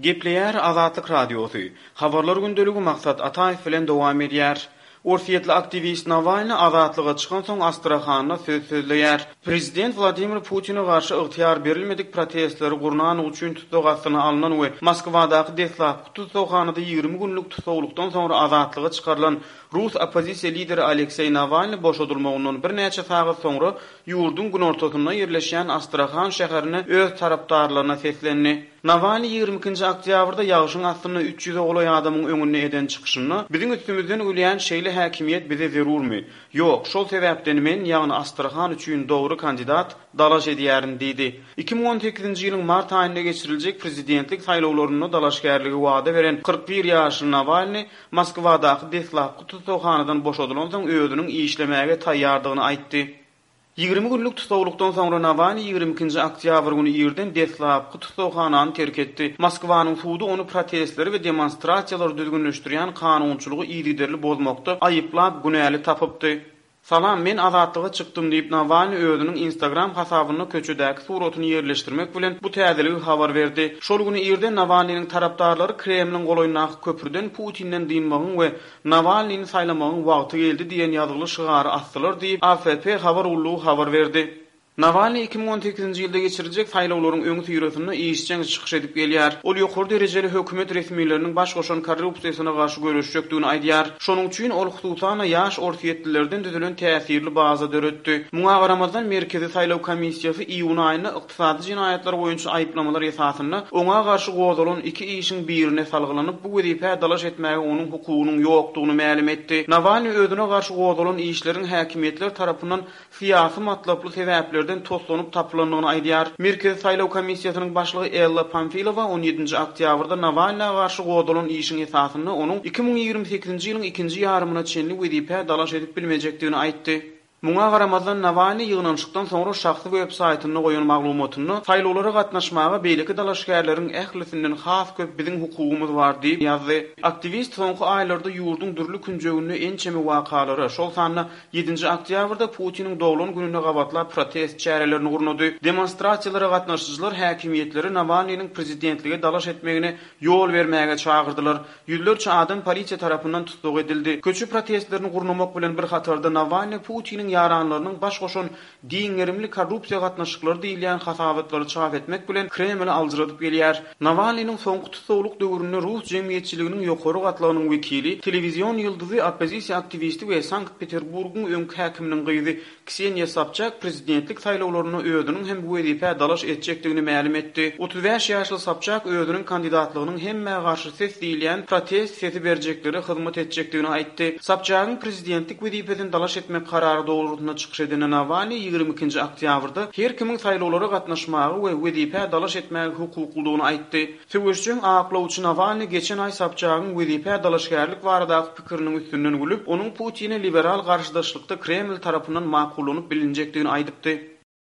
Gepleýär Azatlyk Radiosy. Habarlar gündeligi Maksat Ataýew bilen dowam edýär. Orsýetli aktiwist Nawalny azatlyga çykansoň Astrahanda söz sözleýär. Prezident Wladimir Putine garşy ygtyýar berilmedik protestleri gurnanlygy üçin tussag astyna alnan we Moskwadaky deslapky tussaghanada 20 günlük tussaglykdan soňra azatlyga çykarylan rus oppozisiýa lideri Alekseý Nawalny boşadylmagyndan birnäçe sagat soňra ýurduň günortasynda ýerleşýän Astrahan şäherinde öz tarapdarlaryna seslendi. Nawalnyý 22-nji oktýabrda ýagşyň astynda üç ýüze golaý adamyň öňünde eden çykyşynda, Biziň üstümizden gülýän şeýle häkimiýet bize zerurmy? Ýok, şol sebäpden men, ýagny Astrahan üçin dogry kandidat, dalaş edýärin diýdi. 2018-nji ýylyň mart aýynda geçiriljek prezidentlik saýlawlarynda dalaşgärligi wada beren 41 ýaşly Nawalnyý Moskwadaky deslapky tussaghanadan boşadylansoň özüniň işlemäge taýýardygyny aýtdy. 20 günlük tussaglykdan soňra Nawalnyý 22-nji oktýabr güni irden deslapky tussaghanany terk etdi. Moskwanyň sudy ony protestleri we demonstrasiýalary düzgünleşdirýän kanunçylygy yzygiderli bozmakda aýyplap günäli tapypdy. Salam, men azatlyga çykdym diýip, Nawalnyý özüniň Instagram hasabynda köçedäki suratyny ýerleşdirmek bilen bu täzeligi habar berdi. Şol güni irden Nawalnynyň tarapdarlary Kremliň golaýyndaky köprüden Putinden dynmagyň we Nawalnyny saýlamagyň wagty geldi diýen ýazgyly şygary asdylar diýip, AFP habar gullugy habar berdi. Nawalnyý 2018-nji ýylda geçiriljek saýlawlaryň öňüsyrasynda işjeň çykyş edip gelýär. Ol ýokary derejeli hökümet resmileriniň baş goşan korrupsiýasyna garşy göreşjekdigini aýdýar. Şonuň üçin ol hususan-da ýaş orsýetlilerden düzülen täsirli baza döretdi. Muňa garamazdan, Merkezi saýlaw komissiýasy iýun aýynda ykdysady jenaýatlar boýunça aýyplamalar esasynda oňa garşy gozgalan iki işiň birine salgylanyp, bu wezipä dalaş etmäge onuň hukugynyň ýokdugyny mälim etdi. Nawalnyý özüne garşy gozgalan işleriň häkimiýetler tarapyndan syýasy matlaply sebäplerden toslanyp tapylandygyny aýdýar. Merkezi saýlaw komissiýasynyň başlygy Ella Pamfilowa on ýedinji oktýabrda Nawalna garşy gozgalan işiň esasynda onuň 2028-nji ýylyň ikinji ýarymyna çenli wezipä dalaş edip bilmejekdigini aýtdy. Muňa garamazdan, Nawalnyý ýygnanyşykdan soňra şahsy web saýtynda goýan maglumatynda, saýlawlara gatnaşmaga beýleki dalaşgärleriň ählisinden has köp biziň hukugymyz bar diýip ýazdy. Aktiwist soňky aýlarda ýurduň dürli künjeginde ençeme wakalara, şol sanda Ýedinji oktýabrda Putiniň doglan gününe gabatlap protest çärelerini gurnady. Demonstrasiýalara gatnaşyjylar häkimiýetleri Nawalnynyň prezidentlige dalaş etmegine ýol bermäge çagyrdylar. Ýüzlerçe adam polisiýa tarapyndan tussag edildi. Köçe protestlerini gurnamak bilen bir hatarda Nawalnyý Putiniň ýaranlarynyň baş goşan Giň gerimli korrupsiýa gatnaşyklary diýilýän hasabatlary çap etmek bilen Kremli aljyradyp gelýär. Nawalnynyň soňky tussaglyk döwründe rus jemgyýetçiliginiň ýokary gatlagynyň wekili, telewizion ýyldyzy, oppozisiýa aktiwisti we Sankt-Peterburgyň öňki häkiminiň gyzy Kseniýa Sobçak prezidentlik saýlawlarynda özüniň hem bu wezipä dalaş etjekdigini mälim etdi. 35 ýaşly Sobçak özüniň kandidatlygynyň hemmä garşy ses diýilýän protest sesi berjeklere hyzmat etjekdigini aýtdy. Sobçagyň prezidentlik wezipesine dalaş etmek karary dogrusynda çykyş eden Nawalnyý 22-nji oktýabrda her kimiň saýlawlara gatnaşmaga we wezipä dalaş etmäge hukuklydygyny aýtdy. Söweşjeň aklawçy Nawalnyý geçen aý Sobçagyň wezipä dalaşgärlik baradaky pikiriniň üstünden gülüp, onuň Putine liberal garşydaşlykda Kreml tarapyndan makullanyp bilinjekdigini aýdypdy.